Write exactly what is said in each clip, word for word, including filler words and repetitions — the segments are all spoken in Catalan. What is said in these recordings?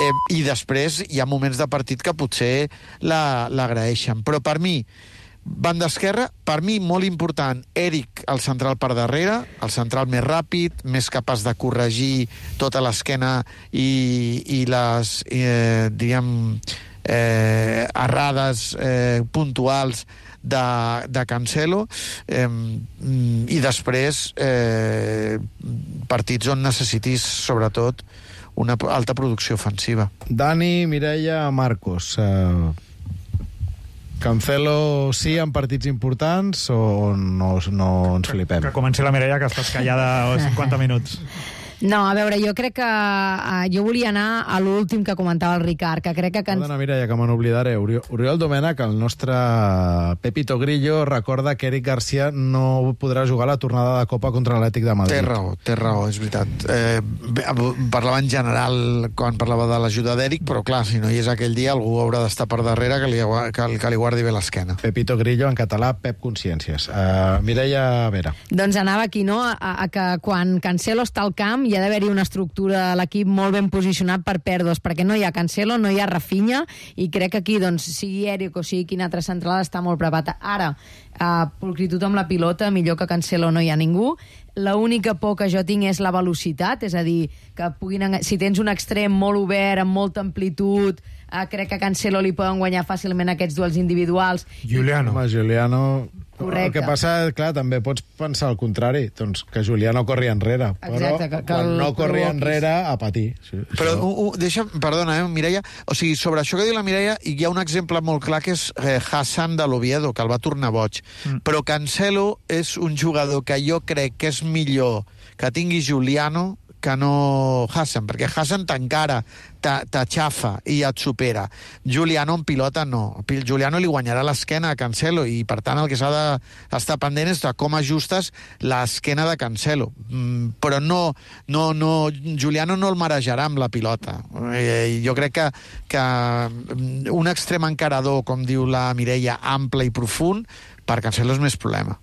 Eh, I després hi ha moments de partit que potser l'agraeixen. Però per mi, banda esquerra, per mi molt important, Eric, el central per darrere, el central més ràpid, més capaç de corregir tota l'esquena i, i les, eh, diguem, eh, errades eh, puntuals de, de Cancelo, eh, i després eh, partits on necessitis, sobretot, una alta producció ofensiva. Dani, Mireia, Marcos, eh, Cancelo sí en partits importants o no, no ens flipem? Que comenci la Mireia, que estàs callada cinquanta minuts. No, a veure, jo crec que... Uh, jo volia anar a l'últim que comentava el Ricard, que crec que... Can... Perdona, Mireia, que me n'oblidaré. Oriol Domènech, el nostre Pepito Grillo, recorda que Eric Garcia no podrà jugar la tornada de Copa contra l'Atlètic de Madrid. Té raó, té raó, és veritat. Eh, parlava en general quan parlava de l'ajuda d'Eric, però clar, si no hi és aquell dia, algú haurà d'estar per darrere que li, que, que li guardi bé l'esquena. Pepito Grillo, en català, Pep Consciències. Uh, Mireia Vera. Doncs anava aquí, no?, a, a que quan Cancelo està al camp hi ha d'haver-hi una estructura de l'equip molt ben posicionat per pèrdues, perquè no hi ha Cancelo, no hi ha Rafinha, i crec que aquí, doncs, sigui Eric o sigui quin altre central, està molt preparat. Ara, uh, pulcritud amb la pilota, millor que Cancelo no hi ha ningú. L'única por que jo tinc és la velocitat, és a dir, que puguin, si tens un extrem molt obert, amb molta amplitud, uh, crec que a Cancelo li poden guanyar fàcilment aquests duels individuals. Juliano. Home, Juliano... Correcte. El que passa, clar, també pots pensar el contrari, doncs que Juliano corri enrere, però exacte, que, que quan no corri provoquis. enrere, a patir. Sí, però, uh, uh, deixa, perdona, eh, Mireia, o sigui, sobre això que diu la Mireia, hi ha un exemple molt clar que és eh, Hassan de l'Oviedo, que el va tornar boig. Mm. Però Cancelo és un jugador que jo crec que és millor que tingui Juliano que no Hassan, perquè Hassan t'encara, t'aixafa i et supera. Juliano en pilota no. Juliano li guanyarà l'esquena a Cancelo i, per tant, el que s'ha d'estar pendent és de com ajustes l'esquena de Cancelo. Mm, però no, no, no, Juliano no el marejarà amb la pilota. Eh, jo crec que, que un extrem encarador, com diu la Mireia, ample i profund, per Cancelo és més problema.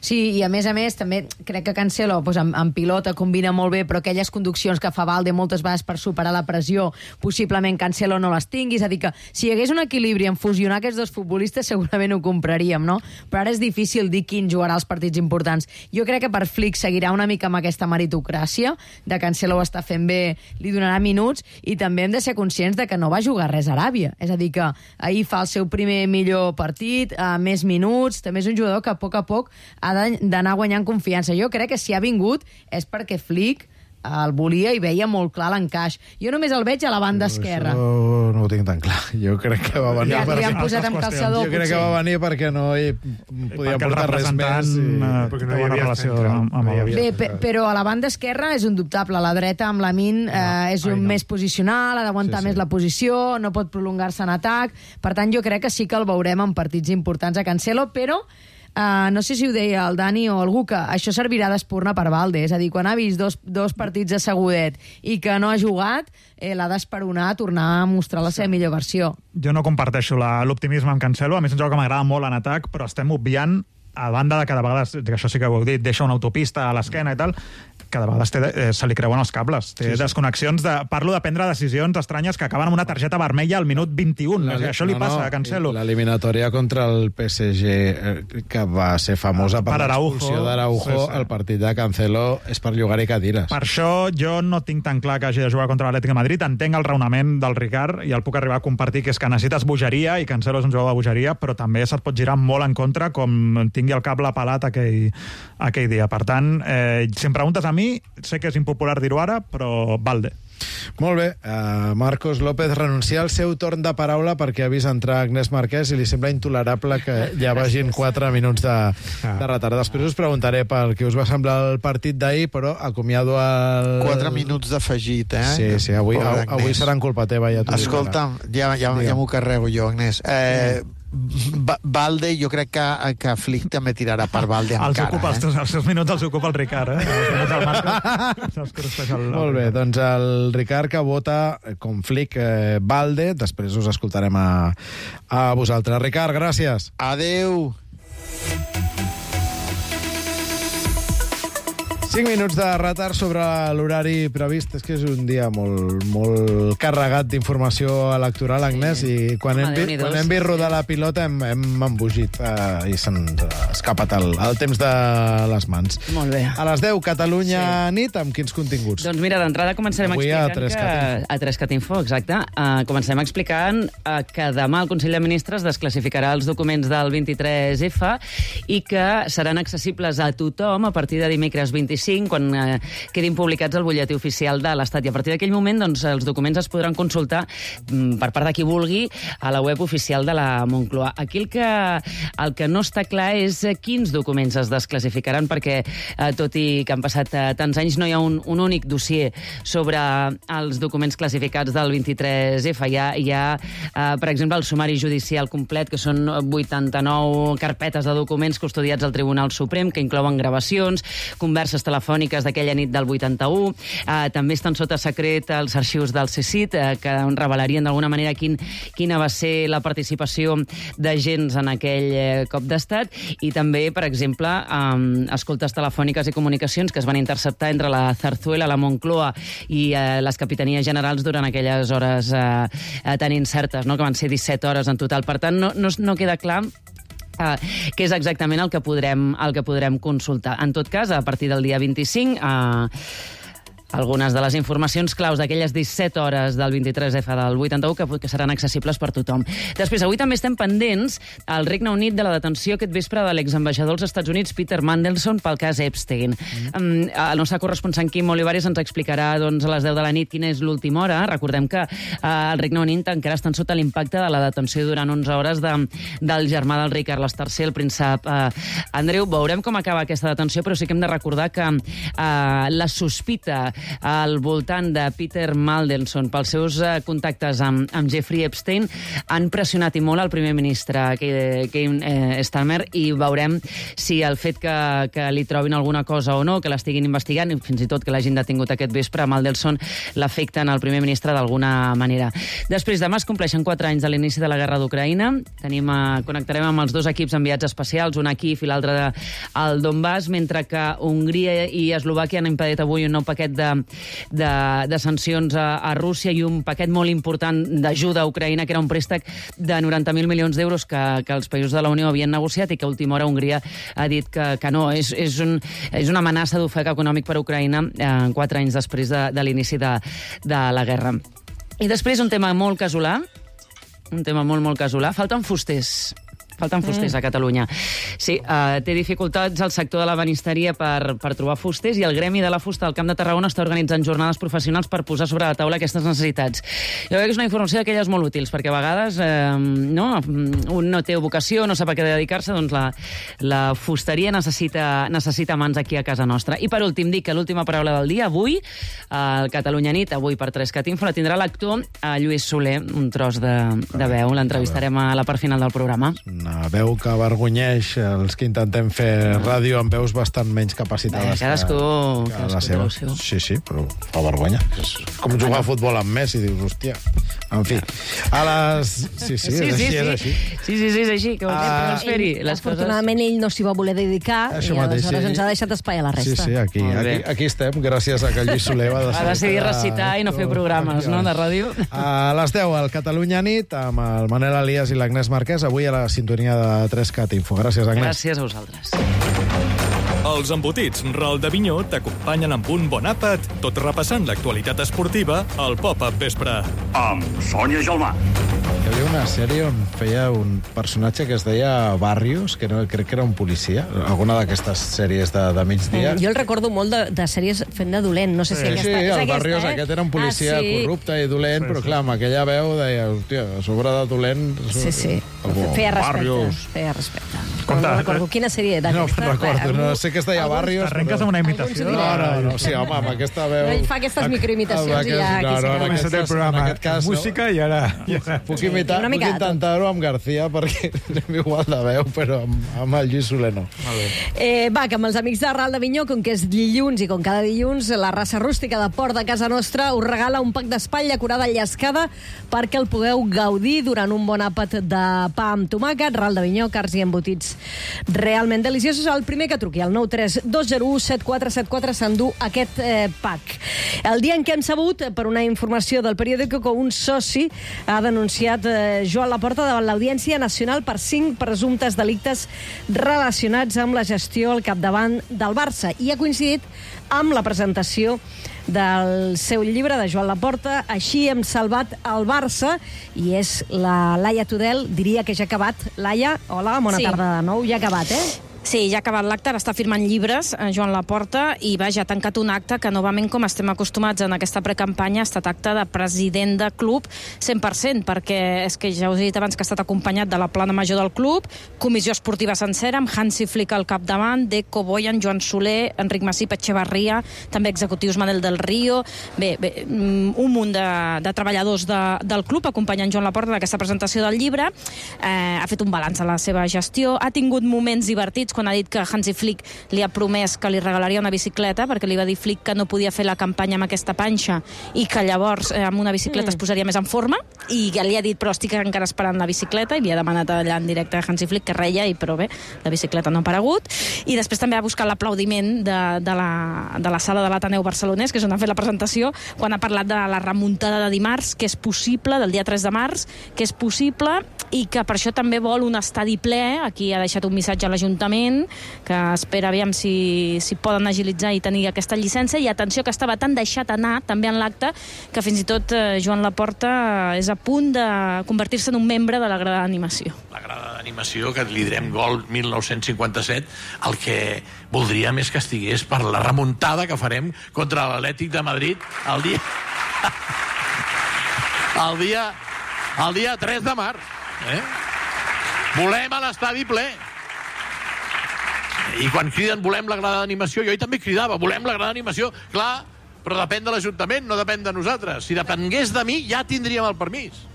Sí, i a més a més també crec que Cancelo doncs, en, en pilota combina molt bé, però aquelles conduccions que fa Valde moltes vegades per superar la pressió, possiblement Cancelo no les tingui, és a dir que si hi hagués un equilibri en fusionar aquests dos futbolistes segurament ho compraríem, no? Però ara és difícil dir quin jugarà els partits importants. Jo crec que per Flick seguirà una mica amb aquesta meritocràcia, de Cancelo ho està fent bé, li donarà minuts, i també hem de ser conscients de que no va jugar res a Aràbia, és a dir que ahir fa el seu primer millor partit, a més minuts, també és un jugador que a poc a poc ha d'anar guanyant confiança. Jo crec que si ha vingut és perquè Flick el volia i veia molt clar l'encaix. Jo només el veig a la banda esquerra. Això no ho tinc tan clar. Jo crec que va venir... Ja perquè... li han posat amb calçador, Jo crec potser. que va venir perquè no hi podia portar res més. I... Perquè no hi havia relació amb, amb el... Bé, pe però a la banda esquerra és indubtable. A la dreta, amb Lamine, eh, és un no. més posicional, ha d'aguantar sí, sí. més la posició, no pot prolongar-se en atac. Per tant, jo crec que sí que el veurem en partits importants a Cancelo, però Uh, no sé si ho deia el Dani o algú, que això servirà d'espurna per Valde, és a dir, quan ha vist dos, dos partits assegudet i que no ha jugat, eh, l'ha d'esperonar a tornar a mostrar la seva millor versió. Jo no comparteixo l'optimisme amb Cancelo, a mi és un joc que m'agrada molt en atac, però estem obviant, a banda de cada vegada, que això sí que ho heu dit, deixa una autopista a l'esquena i tal, cada vegada té, eh, se li creuen els cables. Té sí, sí. desconnexions de... Parlo de prendre decisions estranyes que acaben amb una targeta vermella al minut vint-i-un. La, això li no, passa no, a Cancelo. L'eliminatòria contra el P S G, eh, que va ser famosa per, per l'expulsió d'Araujo, sí, sí. el partit de Cancelo és per llogar-hi cadires. Per això jo no tinc tan clar que hagi de jugar contra l'Atlètic de Madrid. Entenc el raonament del Ricard i el puc arribar a compartir, que és que necessites bogeria i Cancelo és un jugador de bogeria, però també se't pot girar molt en contra com tingui el cable pelat aquell, aquell dia. Per tant, eh, si em preguntes a mi, sé que és impopular dir-ho ara, però Valde. Molt bé. Uh, Marcos López renuncia al seu torn de paraula perquè ha vist entrar Agnès Marquès i li sembla intolerable que ja vagin quatre minuts de, de retard. Després us preguntaré per què us va semblar el partit d'ahir, però acomiado el... Quatre minuts d'afegit, eh? Sí, sí, avui, avui seran culpa teva. Ja Escolta'm, ja, ja, ja m'ho carrego jo, Agnès. Eh... Valde, jo crec que, que Flick també tirarà per Valde encara. Els ocupa, eh? els, els seus minuts els ocupa el Ricard, eh? Els minuts del Marcos. El... Molt bé, doncs el Ricard que vota com Flick eh, Valde, després us escoltarem a, a vosaltres. Ricard, gràcies. Adeu. cinc minuts de retard sobre l'horari previst. És que és un dia molt, molt carregat d'informació electoral, Agnès, sí. i quan, hem, vi, quan hem vist rodar la pilota hem, hem embogit eh, i s'han escapat el, el temps de les mans. Molt bé. A les deu, Catalunya sí. nit, amb quins continguts? Doncs mira, d'entrada començarem Avui explicant a que... A tres cat info, exacte. Uh, comencem explicant uh, que demà el Consell de Ministres desclassificarà els documents del vint-i-tres efa i que seran accessibles a tothom a partir de dimecres vint-i-cinc, quan eh, quedin publicats al butlletí oficial de l'Estat. I a partir d'aquell moment, doncs, els documents es podran consultar mm, per part de qui vulgui a la web oficial de la Moncloa. Aquí el que, el que no està clar és quins documents es desclassificaran, perquè eh, tot i que han passat eh, tants anys no hi ha un, un únic dossier sobre els documents classificats del vint-i-tres efa. Hi ha, hi ha eh, per exemple, el sumari judicial complet, que són vuitanta-nou carpetes de documents custodiats al Tribunal Suprem, que inclouen gravacions, converses telefòniques d'aquella nit del vuitanta-u. Eh, també estan sota secret els arxius del C S I T, eh, que revelarien d'alguna manera quin, quina va ser la participació d'agents en aquell eh, cop d'estat, i també, per exemple, eh, escoltes telefòniques i comunicacions que es van interceptar entre la Zarzuela, la Moncloa i eh, les capitanies generals durant aquelles hores eh, eh, tan incertes, no? Que van ser disset hores en total. Per tant, no, no, no queda clar Uh, què és exactament el que podrem, el que podrem consultar. En tot cas, a partir del dia vint-i-cinc... Uh, algunes de les informacions claus d'aquelles disset hores del vint-i-tres efa del vuitanta-u que, que seran accessibles per tothom. Després, avui també estem pendents al Regne Unit de la detenció aquest vespre de l'exambaixador als Estats Units, Peter Mandelson, pel cas Epstein. Mm. Um, el nostre corresponsal Quim Olivares ens explicarà doncs, a les deu de la nit quina és l'última hora. Recordem que uh, el Regne Unit encara estan sota l'impacte de la detenció durant onze hores de, del germà del rei Carles tercer, el príncep uh, Andreu. Veurem com acaba aquesta detenció, però sí que hem de recordar que uh, la sospita al voltant de Peter Mandelson pels seus eh, contactes amb, amb Jeffrey Epstein han pressionat i molt el primer ministre Keir eh, Starmer, i veurem si el fet que, que li trobin alguna cosa o no, que l'estiguin investigant, i fins i tot que l'hagin detingut aquest vespre, Mandelson l'afecten al primer ministre d'alguna manera. Després, demà es compleixen quatre anys de l'inici de la guerra d'Ucraïna. Tenim, eh, connectarem amb els dos equips enviats especials, un a Kíev i l'altre al Donbass, mentre que Hongria i Eslovàquia han impedit avui un nou paquet de De, de sancions a, a Rússia i un paquet molt important d'ajuda a Ucraïna, que era un préstec de noranta mil milions d'euros que, que els països de la Unió havien negociat i que a última hora Hongria ha dit que, que no. És, és, un, és una amenaça d'ofec econòmic per a Ucraïna eh, quatre anys després de, de l'inici de, de la guerra. I després un tema molt casolà, un tema molt, molt casolà. Falten fusters. Falten fusters mm. a Catalunya. Sí, uh, té dificultats el sector de la banisteria per, per trobar fusters, i el Gremi de la Fusta al Camp de Tarragona està organitzant jornades professionals per posar sobre la taula aquestes necessitats. Jo crec que és una informació d'aquelles molt útils, perquè a vegades eh, no, un no té vocació, no sap a què dedicar-se, doncs la, la fusteria necessita, necessita mans aquí a casa nostra. I per últim, dic que l'última paraula del dia, avui, al Catalunya Nit, avui per tres cat info, la tindrà l'actor Lluís Soler, un tros de, de veu. L'entrevistarem a la part final del programa. Una veu que avergonyeix els que intentem fer ràdio amb veus bastant menys capacitades. Bé, cadascú, que, que cadascú la seva. Sí, sí, però fa vergonya. És com jugar a futbol amb Messi, dius, hòstia. En fi, a les... Sí, sí, és sí, així, sí, és així. Sí, sí, sí, és així. Que Ah, uh, fer-hi les afortunadament coses... ell no s'hi va voler dedicar Això i mateix, aleshores sí. ens ha deixat espai a la Sí, resta. sí, aquí, Molt bé. aquí, aquí estem, gràcies a que Lluís Soler va decidir... Va decidir recitar i no fer programes, no?, de ràdio. A les deu, al Catalunya Nit, amb el Manel Elias i l'Agnès Marquès, avui a la sintonia de tres cat info. Gràcies, Agnès. Gràcies a vosaltres. Els embotits Ral de Vinyó t'acompanyen amb un bon àpat, tot repassant l'actualitat esportiva al Pop-Up Vespre. Amb Sònia Gelmà. Hi havia una sèrie on feia un personatge que es deia Barrios, que no, crec que era un policia, alguna d'aquestes sèries de, de migdia. Mm, jo el recordo molt de, de sèries fent de dolent, no sé si Sí, aquesta sí, és el aquesta, Barrios eh? aquest era un policia ah, sí. corrupte i dolent, Sí, però sí. clar, amb aquella veu deia, hòstia, a sobre de dolent... Sí, sí. Algú, Feia respecte. Barrios. Feia respecte. Compte, no recordo quina sèrie No d'aquesta. me'n recordo, no Algú- sé que es deia algú- Barrios. T'arrenques amb una imitació? Algun No, s'ho no, no, sí, home, amb aquesta veu... Ell fa aquestes microimitacions i ja Amb aquí aquest- no, no, s'acaba. en aquest Començat el cas- programa, en aquest cas, no. música i ara... Ja. Puc imitar, una puc mica de tot. intentar-ho amb García, perquè anem igual de veu, però amb, amb el Lluís Soler no. Eh, va, que amb els amics de Ral de Vinyó, com que és dilluns i com cada dilluns, la raça rústica de Port de casa nostra us regala un pack d'espatlla curada llescada perquè el pugueu gaudir durant un bon àpat de pa amb tomàquet. Ral de Vinyó, carns i embotits plats realment deliciosos. El primer que truqui, el nou tres dos zero u set quatre set quatre, s'endú aquest eh, pack. El dia en què hem sabut, per una informació del periòdico, que un soci ha denunciat eh, Joan Laporta davant l'Audiència Nacional per cinc presumptes delictes relacionats amb la gestió al capdavant del Barça. I ha coincidit amb la presentació del seu llibre de Joan Laporta, Així hem salvat el Barça, i és la Laia Tudel, diria que ja ha acabat. Laia, hola, bona Sí. tarda de nou, ja ha acabat, eh? Sí, ja ha acabat l'acte, ara està firmant llibres, eh, Joan Laporta, i vaja, ha tancat un acte que, novament, com estem acostumats en aquesta precampanya, ha estat acte de president de club cent per cent, perquè és que ja us he dit abans que ha estat acompanyat de la plana major del club, comissió esportiva sencera, amb Hansi Flick al capdavant, Deco, Boyan, Joan Soler, Enric Masip, Etxebarria, també executius Manel del Río, bé, bé un munt de, de treballadors de, del club acompanyant Joan Laporta d'aquesta presentació del llibre. Eh, ha fet un balanç a la seva gestió, ha tingut moments divertits quan ha dit que Hansi Flick li ha promès que li regalaria una bicicleta, perquè li va dir Flick que no podia fer la campanya amb aquesta panxa i que llavors eh, amb una bicicleta mm. es posaria més en forma, i ja li ha dit però estic encara esperant la bicicleta, i li ha demanat allà en directe a Hansi Flick que reia, i però bé, la bicicleta no ha aparegut. I després també ha buscat l'aplaudiment de, de, la, de la sala de l'Ateneu barcelonès, que és on ha fet la presentació, quan ha parlat de la remuntada de dimarts, que és possible, del dia tres de març, que és possible, i que per això també vol un estadi ple. Aquí ha deixat un missatge a l'Ajuntament, que espera aviam si, si poden agilitzar i tenir aquesta llicència. I atenció, que estava tan deixat anar també en l'acte que fins i tot eh, Joan Laporta és a punt de convertir-se en un membre de la grada d'animació. La grada d'animació, que li direm Gol mil nou-cents cinquanta-set, el que voldríem és que estigués per la remuntada que farem contra l'Atlètic de Madrid el dia... el dia... el dia tres de març. Eh? Volem a l'estadi ple. I quan criden volem la grada d'animació, jo hi també cridava, volem la grada d'animació, clar, però depèn de l'Ajuntament, no depèn de nosaltres. Si depengués de mi, ja tindríem el permís.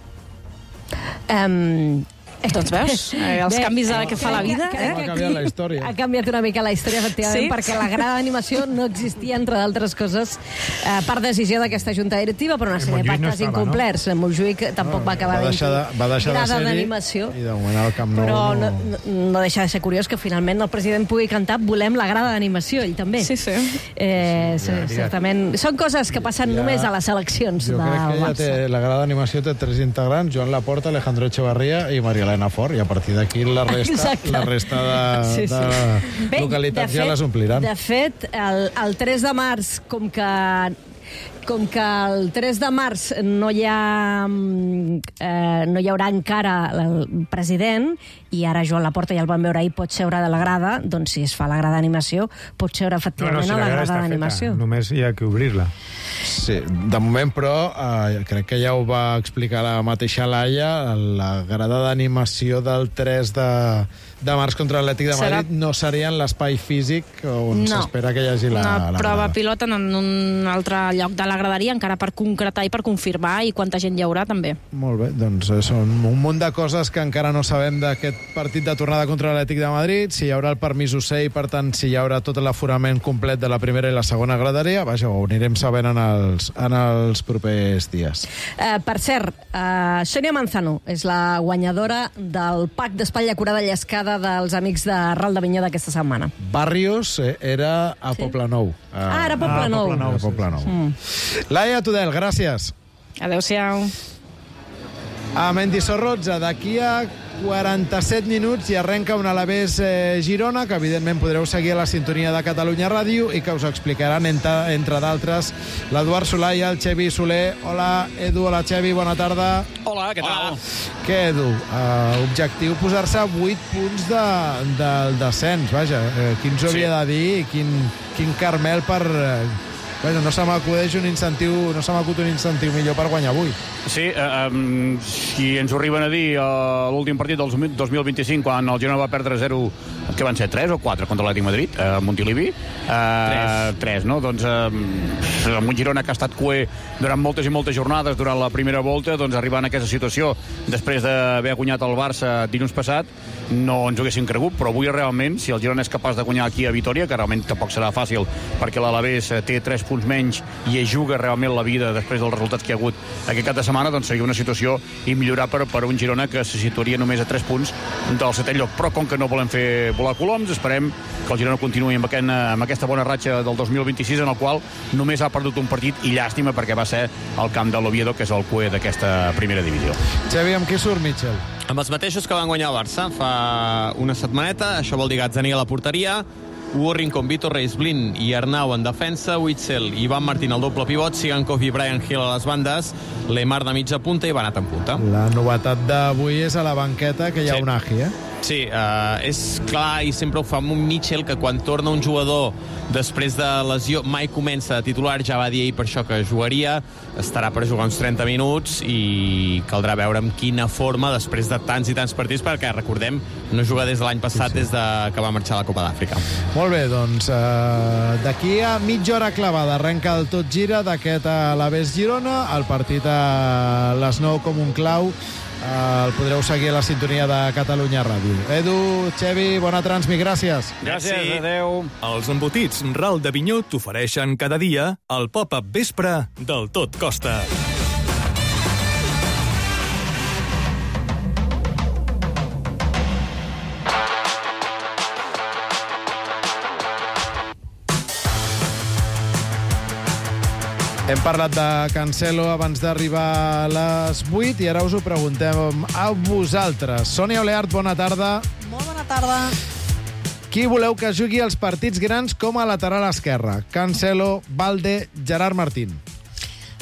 Um... Doncs veus, eh, els Bé, canvis que fa la vida. crec Eh? que Ha canviat la història. Ha canviat una mica la història, efectivament, Sí? perquè la grada d'animació no existia, entre d'altres coses, eh, per decisió d'aquesta junta directiva, per una sèrie de Montjuïc no pactes estava, incomplerts. No? Montjuïc tampoc va acabar va deixar de, va deixar de grada ser-hi d'animació. i de moment al Camp Nou Però no, no... no, no deixa de ser curiós que finalment el president pugui cantar Volem la grada d'animació, ell també. Sí, sí. Eh, Sí, sí, ja, certament. Són coses que passen Ja- només a les eleccions Jo del crec que ja Barça. té, la grada d'animació té tres integrants, Joan Laporta, Alejandro Echevarría i Maria Elena Fort, i a partir d'aquí la resta, Exacte. la resta de, Sí, sí. de Bé, localitats de ja fet- les ompliran. De fet, el, el tres de març, com que com que el tres de març no hi ha eh, no hi haurà encara el president, i ara Joan Laporta ja el vam veure ahir, pot seure de la grada, doncs si es fa la grada d'animació pot seure efectivament si a la grada grada està d'animació. feta, només hi ha que obrir-la. Sí, de moment, però, eh, crec que ja ho va explicar la mateixa Laia, la grada d'animació del tres de, de març contra l'Atlètic de Serà- Madrid no seria en l'espai físic on No. s'espera que hi hagi la, Una la prova grada. pilota en un altre lloc de la graderia, encara per concretar i per confirmar, i quanta gent hi haurà també. Molt bé, doncs eh, són un munt de coses que encara no sabem d'aquest partit de tornada contra l'Atlètic de Madrid, si hi haurà el permís U C I, per tant, si hi haurà tot l'aforament complet de la primera i la segona graderia, vaja, ho anirem sabent en els, en els propers dies. Eh, per cert, eh, Sònia Manzano és la guanyadora del pack d'espatlla curada llescada dels amics de Ral de Vinyó d'aquesta setmana. Barrios eh, era a Sí? Poblenou. Ah, era Ah, Poblenou. Poblenou. A Poblenou. Mm. Laia Tudel, gràcies. Adéu-siau. A Mendizorroza, d'aquí a quaranta-set minuts i arrenca un Alavés eh, Girona, que evidentment podreu seguir a la sintonia de Catalunya Ràdio i que us explicaran, entre, entre d'altres, l'Eduard Solà i el Xevi Soler. Hola, Edu, hola, Xevi, bona tarda. Hola, què tal? Què, Edu? Uh, objectiu posar-se a vuit punts de, del descens, vaja. Uh, qui ens ho havia de dir i quin, quin carmel per... Uh, Vaja, no se m'acudeix un incentiu, no se m'acut un incentiu millor per guanyar avui. Sí, eh, um, si ens ho arriben a dir a l'últim partit del dos mil vint-i-cinc, quan el Girona va perdre zero que van ser tres o quatre contra l'Atlètic Madrid, a uh, Montilivi. Uh, tres. Tres, no? Doncs uh, amb un Girona que ha estat cuer durant moltes i moltes jornades durant la primera volta, doncs arribant a aquesta situació després d'haver guanyat el Barça dilluns passat, no ens ho haguéssim cregut, però avui realment, si el Girona és capaç de guanyar aquí a Vitòria, que realment tampoc serà fàcil, perquè l'Alavés té tres punts menys i es juga realment la vida després dels resultats que hi ha hagut aquest cap de setmana, doncs seria una situació immillorable per, per un Girona que se situaria només a tres punts del setè lloc. Però com que no volem fer volar coloms, esperem que el Girona continuï amb, aquest, amb aquesta bona ratxa del dos mil vint-i-sis, en el qual només ha perdut un partit, i llàstima perquè va ser el camp de l'Oviedo, que és el cuer d'aquesta primera divisió. Xavi, amb qui surt Mitchell? Amb els mateixos que van guanyar el Barça fa una setmaneta. Això vol dir Gazzaniga a la porteria, Hugo Rincón, Vitor Reis, Blin i Arnau en defensa, Witzel i Ivan Martín al doble pivot, Sigankov i Brian Hill a les bandes, Lemar de mitja punta i Banat en punta. La novetat d'avui és a la banqueta, que hi ha sí. un Agi, eh? Sí, uh, és clar, i sempre ho fa amb un Mitchell, que quan torna un jugador després de lesió mai comença a titular, ja va dir ahir per això que jugaria, estarà per jugar uns trenta minuts i caldrà veure amb quina forma després de tants i tants partits, perquè recordem, no juga des de l'any passat, sí, sí. des de que va marxar a la Copa d'Àfrica. Molt bé, doncs uh, d'aquí a mitja hora clavada arrenca el Tot Gira d'aquest Alavés Girona, el partit a les nou com un clau. Uh, el podreu seguir a la sintonia de Catalunya Ràdio. Edu, Xevi, bona transmi, gràcies. Gràcies, sí. Adeu. Els embotits Ral d'Avinyó t'ofereixen cada dia el pop-up vespre del Tot Costa. Hem parlat de Cancelo abans d'arribar a les vuit i ara us ho preguntem a vosaltres. Sònia Oleart, bona tarda. Molt bona tarda. Qui voleu que jugui els partits grans com a lateral esquerre? Cancelo, Balde, Gerard Martín.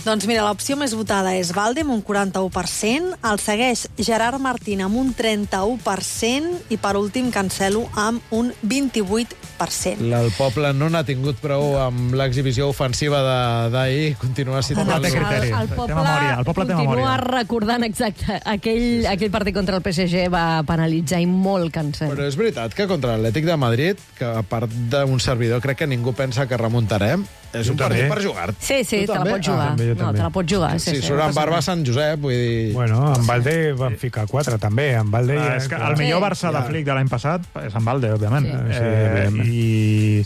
Doncs mira, l'opció més votada és Balde amb un quaranta-u per cent, el segueix Gerard Martín amb un trenta-u per cent i per últim Cancelo amb un vint-i-vuit per cent. El poble no n'ha tingut prou amb l'exhibició ofensiva d'ahir, continua citant el, el, el, el poble, memòria, el poble continua recordant exacte aquell, aquell partit contra el P S G va penalitzar i molt Cancelo. Però és veritat que contra l'Atlètic de Madrid, que a part d'un servidor crec que ningú pensa que remuntarem, és un partit per jugar. Sí, sí, te la pots jugar. Ah, no, te la pots jugar. Sí, sí, sí, surt en barba Sant Josep, vull dir... Bueno, en Balde van ficar quatre, també. En Balde ah, ja... és que el millor Barça de Flick de l'any passat és en Balde, òbviament. Sí. Eh, i...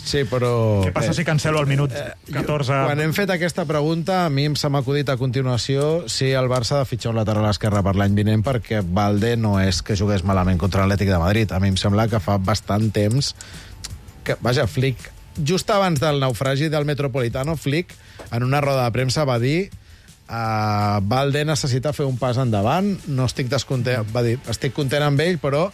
sí, però... Què passa si Cancelo al minut catorze... Quan hem fet aquesta pregunta, a mi em s'ha acudit a continuació si el Barça ha de fitxar un lateral esquerre per l'any vinent, perquè Balde no és que jugués malament contra l'Atlètic de Madrid. A mi em sembla que fa bastant temps que, vaja, Flick, just abans del naufragi del Metropolitano, Flick, en una roda de premsa, va dir uh, Balde necessita fer un pas endavant, no estic descontent, va dir, estic content amb ell, però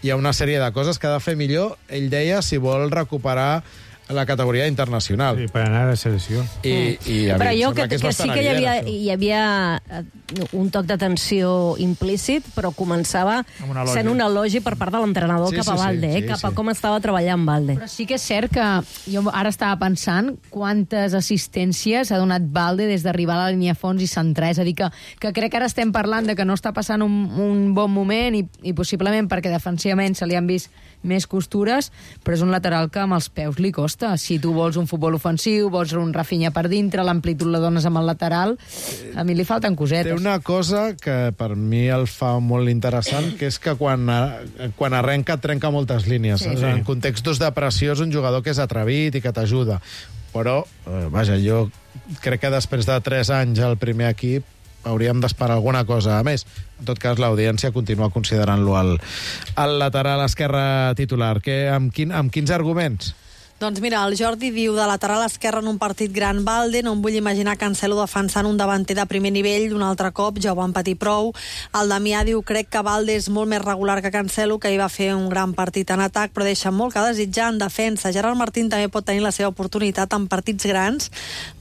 hi ha una sèrie de coses que ha de fer millor, ell deia, si vol recuperar la categoria internacional. Sí, per anar a la selecció. I, i a però mi, jo que, que, que sí que hi havia, hi havia un toc d'atenció implícit, però començava sent un elogi per part de l'entrenador sí, cap a Balde, sí, sí, eh, cap a sí. com estava treballant Balde. Però sí que és cert que jo ara estava pensant quantes assistències ha donat Balde des d'arribar a la línia fons i centrar. És a dir, que, que crec que ara estem parlant de que no està passant un, un bon moment i, i possiblement perquè defensivament se li han vist més costures, però és un lateral que amb els peus li costa. Si tu vols un futbol ofensiu, vols un Rafinha per dintre, l'amplitud la dones amb el lateral, a mi li falten cosetes. Té una cosa que per mi el fa molt interessant, que és que quan, quan arrenca trenca moltes línies. Sí, sí. En contextos de pressió és un jugador que és atrevit i que t'ajuda. Però, eh, vaja, jo crec que després de tres anys al primer equip hauríem d'esperar alguna cosa a més. En tot cas, l'audiència continua considerant-lo el, el lateral esquerre titular. Que, amb, quin, amb quins arguments? Doncs mira, el Jordi diu de lateral esquerre en un partit gran Balde, no em vull imaginar Cancelo defensant un davanter de primer nivell un altre cop, ja ho van patir prou. El Damià diu, crec que Balde és molt més regular que Cancelo, que hi va fer un gran partit en atac, però deixa molt que desitjar en defensa. Gerard Martín també pot tenir la seva oportunitat en partits grans.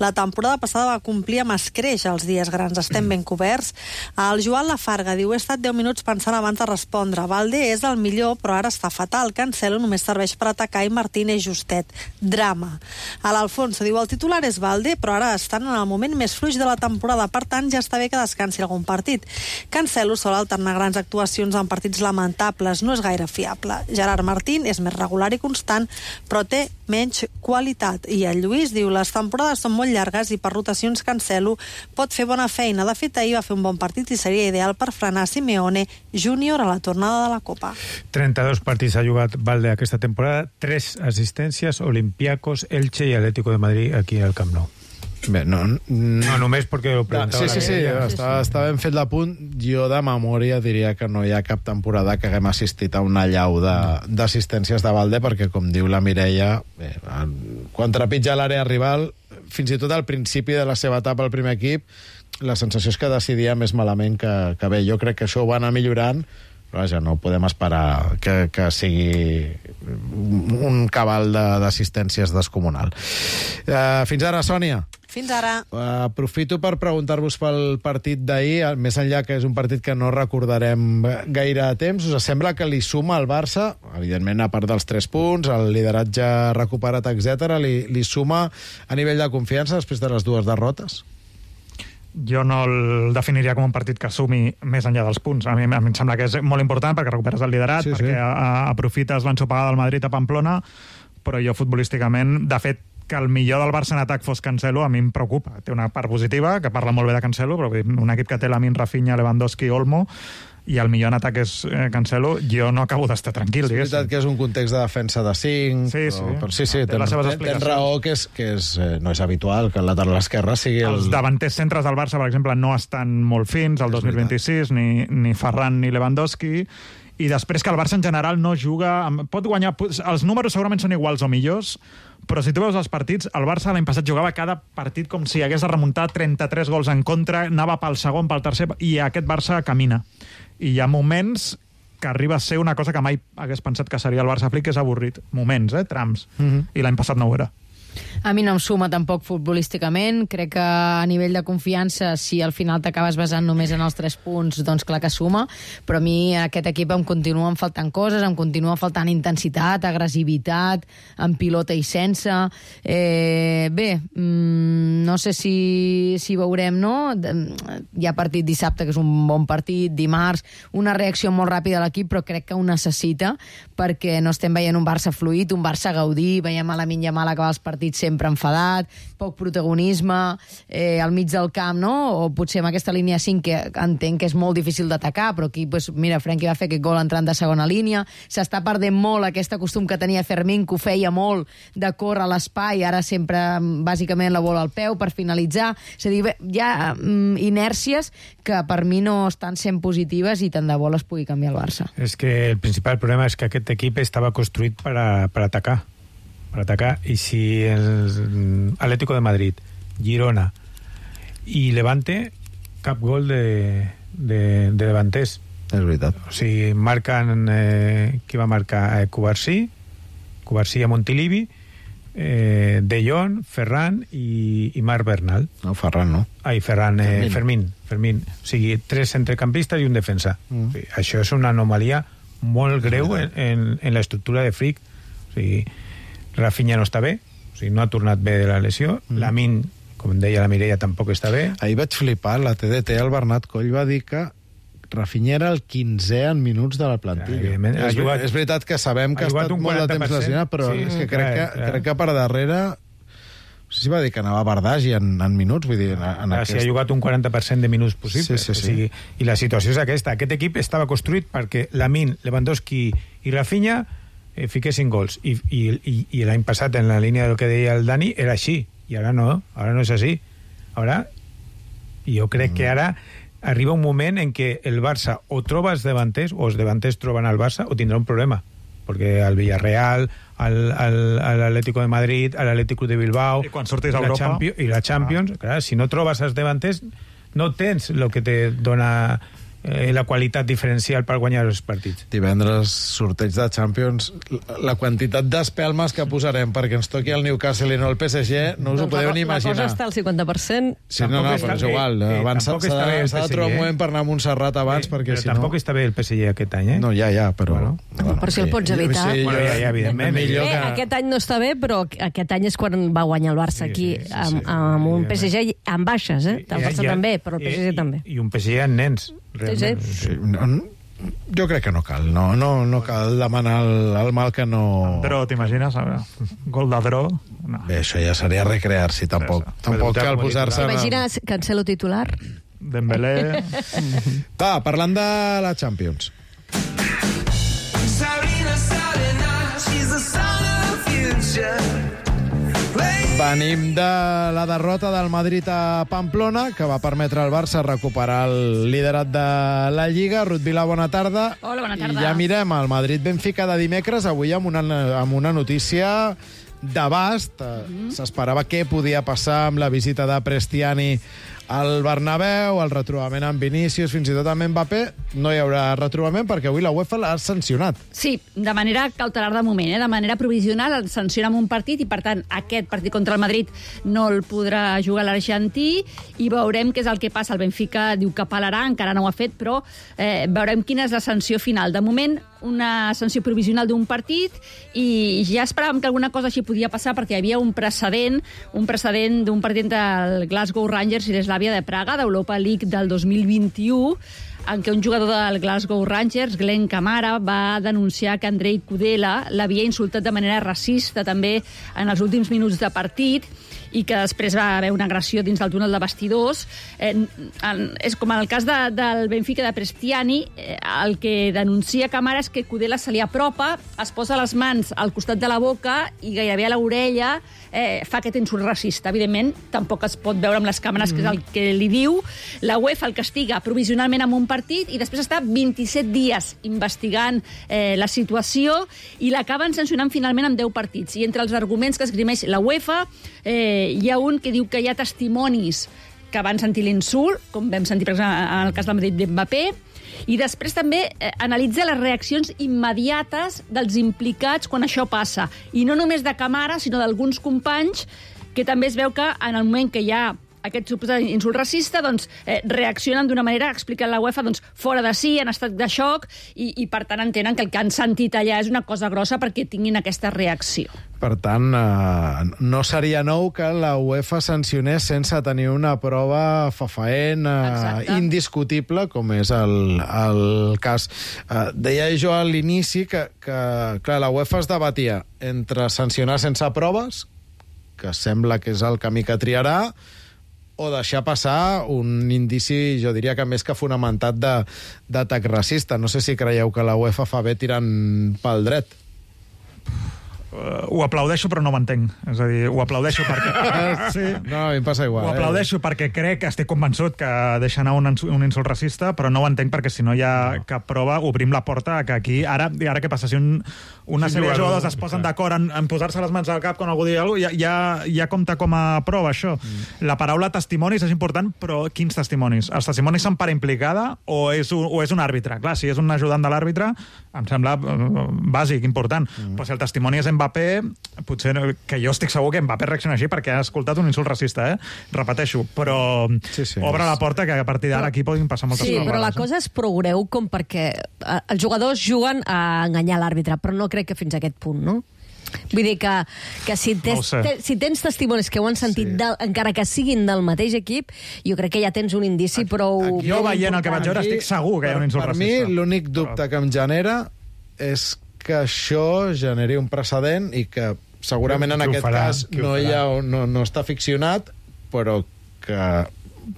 La temporada passada va complir amb escreix els dies grans, estem ben coberts. El Joan Lafarga diu, he estat deu minuts pensant abans de respondre. Balde és el millor, però ara està fatal. Cancelo només serveix per atacar i Martín és justet. set. Drama. A l'Alfonso diu, el titular és Valde, però ara estan en el moment més fluix de la temporada, per tant ja està bé que descansi algun partit. Cancelo sol alternar grans actuacions en partits lamentables, no és gaire fiable. Gerard Martín és més regular i constant, però té menys qualitat. I el Lluís diu, les temporades són molt llargues i per rotacions Cancelo pot fer bona feina. De fet, ahir va fer un bon partit i seria ideal per frenar Simeone Júnior a la tornada de la Copa. trenta-dos partits ha jugat Valde aquesta temporada, tres assistències, Olympiacos, Elche i Atlético de Madrid aquí al Camp Nou. Bé, no, no, no només perquè ho preguntava. Sí, sí, sí, la sí, està, està ben fet l'apunt. Jo de memòria diria que no hi ha cap temporada que haguem assistit a una llau d'assistències de, de Valde, perquè, com diu la Mireia, bé, quan trepitja l'àrea rival, fins i tot al principi de la seva etapa al primer equip, la sensació és que decidia més malament que, que bé. Jo crec que això ho va anar millorant, però vaja, no podem esperar que, que sigui un cabal d'assistències de, descomunal. Uh, fins ara, Sònia. Fins ara. Uh, aprofito per preguntar-vos pel partit d'ahir, més enllà que és un partit que no recordarem gaire temps. Us sembla que li suma al Barça, evidentment a part dels tres punts, el lideratge recuperat, etcètera, li, li suma a nivell de confiança després de les dues derrotes? Jo no el definiria com un partit que sumi més enllà dels punts. A mi, a mi em sembla que és molt important perquè recuperes el liderat, sí, perquè sí. A, a, aprofites l'ensopegada del Madrid a Pamplona, però jo futbolísticament, de fet, que el millor del Barça en atac fos Cancelo, a mi em preocupa. Té una part positiva, que parla molt bé de Cancelo, però un equip que té Lamine, Rafinha, Lewandowski, Olmo, i el millor en atac és eh, Cancelo, jo no acabo d'estar tranquil, diguéssim. És veritat que és un context de defensa de cinc, sí, sí. Però, però sí, sí, té ten, ten, ten raó que, és, que és, eh, no és habitual que el lateral esquerre sigui el... Els davanters centres del Barça, per exemple, no estan molt fins el dos mil vint-i-sis, ni, ni Ferran ni Lewandowski, i després que el Barça en general no juga... Pot guanyar... Els números segurament són iguals o millors, però si tu veus els partits, el Barça l'any passat jugava cada partit com si hagués de remuntar trenta-tres gols en contra, anava pel segon, pel tercer, i aquest Barça camina. I hi ha moments que arriba a ser una cosa que mai hagués pensat que seria el Barça Flick, que és avorrit. Moments, eh? Trams. Mm-hmm. I l'any passat no ho era. A mi no em suma tampoc futbolísticament. Crec que a nivell de confiança, si al final t'acabes basant només en els tres punts, doncs clar que suma, però a mi aquest equip em continuen faltant coses, em continua faltant intensitat, agressivitat, en pilota i sense. Eh, bé, mmm, no sé si, si veurem, no? Hi ha partit dissabte, que és un bon partit, dimarts, una reacció molt ràpida a l'equip, però crec que ho necessita, perquè no estem veient un Barça fluid, un Barça gaudir, veiem a Lamine Yamal acabar els partits sempre enfadat, poc protagonisme eh, al mig del camp, no? O potser amb aquesta línia cinc, que entenc que és molt difícil d'atacar, però aquí, pues, mira, Frenkie va fer aquest gol entrant de segona línia, s'està perdent molt aquest costum que tenia Fermín, que ho feia molt de córrer a l'espai, ara sempre bàsicament la bola al peu per finalitzar. És a dir, bé, hi ha mm, inèrcies que per mi no estan sent positives i tant de bo les pugui canviar el Barça. És que el principal problema és que aquest equip estava construït per, a, per atacar. per atacar, i si el Atlético de Madrid, Girona i Levante, cap gol de, de, de davanters. És veritat. O sigui, marquen eh, qui va marcar? Eh, Cubarsí, Cubarsí a Montilivi, eh, De Jong, Ferran i, i Marc Bernal. No, Ferran no. Ai, Ferran, eh, Fermín. Fermín. O sigui, tres centrecampistes i un defensa. Mm. O sigui, això és una anomalia molt greu en, en, en l'estructura de Flick. O sigui, Rafinha no està bé, o sigui, no ha tornat bé de la lesió. Mm. Lamine, com deia la Mireia, tampoc està bé. Ahir vaig flipar, la T D T, el Bernat Coll va dir que Rafinha era el quinzè en minuts de la plantilla. Ja, és, jugat, és veritat que sabem que ha, ha estat molt de temps lesionat, però sí, és que crec, clar, que, clar. crec que per darrere... No sé si va dir que anava a Bardagi en, en minuts, vull dir... En, en aquest... Si ha jugat un quaranta per cent de minuts possible. Sí, sí, sí. O sigui, i la situació és aquesta. Aquest equip estava construït perquè Lamine, Lewandowski i Rafinha eh, fiquessin gols. I, i, i, i l'any passat, en la línia del que deia el Dani, era així. I ara no, ara no és així. Ara, jo crec mm. que ara arriba un moment en què el Barça o troba els davanters, o els davanters troben el Barça, o tindrà un problema. Perquè el Villarreal, l'Atlético de Madrid, l'Atlético de Bilbao... I quan surtis a Europa... Champions, I la Champions, ah. clar, si no trobes els davanters, no tens el que te dona eh, la qualitat diferencial per guanyar els partits. Divendres, sorteig de Champions, la, la quantitat d'espelmes que posarem perquè ens toqui el Newcastle i no el P S G, no us doncs ho podeu la, ni imaginar. La cosa està al cinquanta per cent. Sí, no, no, però és igual. Eh, abans s'ha de, de trobar un moment per anar a Montserrat abans, eh, perquè si no... Tampoc està bé el P S G aquest any, eh? No, ja, ja, però... Bueno, bueno, però si el pots evitar. Sí, bueno, ja, ja, evidentment. Bé, que... aquest any no està bé, però aquest any és quan va guanyar el Barça aquí, sí, sí, sí, amb, amb un P S G amb baixes, eh? El Barça també, però el P S G també. I un P S G amb nens, realment. Sí, sí. No, jo crec que no cal, no, no, no cal demanar el, el mal que no... Però t'imagines, gol de Dro? No. Bé, això ja seria recrear-s'hi, tampoc. Sí, tampoc cal posar-se... T'imagines Cancelo titular? Dembélé... Va, parlant de la Champions. Venim de la derrota del Madrid a Pamplona, que va permetre al Barça recuperar el liderat de la Lliga. Ruth Vila, bona tarda. Hola, bona tarda. I ja mirem el Madrid-Benfica de dimecres, avui amb una, amb una notícia d'abast. Mm-hmm. S'esperava què podia passar amb la visita de Prestiani al Bernabéu, el retrobament amb Vinícius, fins i tot amb Mbappé. No hi haurà retrobament perquè avui la UEFA l'ha sancionat. Sí, de manera cautelar de moment, eh? De manera provisional el sanciona amb un partit i, per tant, aquest partit contra el Madrid no el podrà jugar l'argentí i veurem què és el que passa. El Benfica diu que apel·larà, encara no ho ha fet, però eh, veurem quina és la sanció final. De moment, una sanció provisional d'un partit i ja esperàvem que alguna cosa així podia passar perquè hi havia un precedent, un precedent d'un partit del Glasgow Rangers i l'Eslàvia de Praga, d'Europa League del dos mil vint-i-u, en què un jugador del Glasgow Rangers, Glenn Kamara, va denunciar que Andrei Kudela l'havia insultat de manera racista també en els últims minuts de partit i que després va haver una agressió dins del túnel de vestidors. Eh, en, és com en el cas de, del Benfica de Prestiani, eh, el que denuncia Kamara és que Kudela se li apropa, es posa les mans al costat de la boca i gairebé a l'orella eh, fa aquest insult racista. Evidentment, tampoc es pot veure amb les càmeres mm. que és el que li diu. La UEFA el castiga provisionalment amb un partit i després està vint-i-set dies investigant eh, la situació i l'acaben sancionant finalment amb deu partits. I entre els arguments que esgrimeix la UEFA eh, hi ha un que diu que hi ha testimonis que van sentir l'insult, com vam sentir, per exemple, en el cas del Madrid d'Mbappé, i després també eh, analitza les reaccions immediates dels implicats quan això passa. I no només de Kamara, sinó d'alguns companys, que també es veu que en el moment que hi ha aquest suposat insult racista, doncs, eh, reaccionen d'una manera, expliquen la UEFA, doncs, fora de si, en estat de xoc, i, i per tant entenen que el que han sentit allà és una cosa grossa perquè tinguin aquesta reacció. Per tant, eh, no seria nou que la UEFA sancionés sense tenir una prova fefaent, eh, indiscutible, com és el, el cas. Eh, deia jo a l'inici que, que clar, la UEFA es debatia entre sancionar sense proves, que sembla que és el camí que triarà, o deixar passar un indici, jo diria que més que fonamentat d'atac racista. No sé si creieu que la UEFA fa bé tirant pel dret. Uh, ho aplaudeixo, però no ho entenc. És a dir, ho aplaudeixo perquè... sí. No, a mi em passa igual. Ho aplaudeixo eh? perquè crec, estic convençut que deixa anar un, un insult racista, però no ho entenc perquè si no hi ha no. cap prova, obrim la porta que aquí... Ara, ara què passa? Si un, una sí, sèrie de jugadors es posen d'acord en, en posar-se les mans al cap quan algú diu alguna cosa, ja, ja, ja compta com a prova, això. Mm. La paraula testimonis és important, però quins testimonis? Els testimonis són per implicada o és un, o és un àrbitre? Clar, si és un ajudant de l'àrbitre, em sembla uh, bàsic, important. Mm. Però si el testimoni és Mbappé, potser que jo estic segur que Mbappé reacciona així perquè ha escoltat un insult racista, eh? Repeteixo, però sí, sí, obre la porta que a partir d'ara aquí poden passar moltes sí, coses. Sí, però la cosa és prou greu com perquè els jugadors juguen a enganyar l'àrbitre, però no crec que fins a aquest punt, no? Vull dir que, que si, tens, no te, si tens testimonis que ho han sentit, sí. del, encara que siguin del mateix equip, jo crec que ja tens un indici prou... Aquí, jo veient el que vaig veure estic segur que hi ha un insult per racista. Per mi l'únic dubte que em genera és que això generi un precedent i que segurament en aquest farà, cas no, hi ha, no, no està ficcionat, però que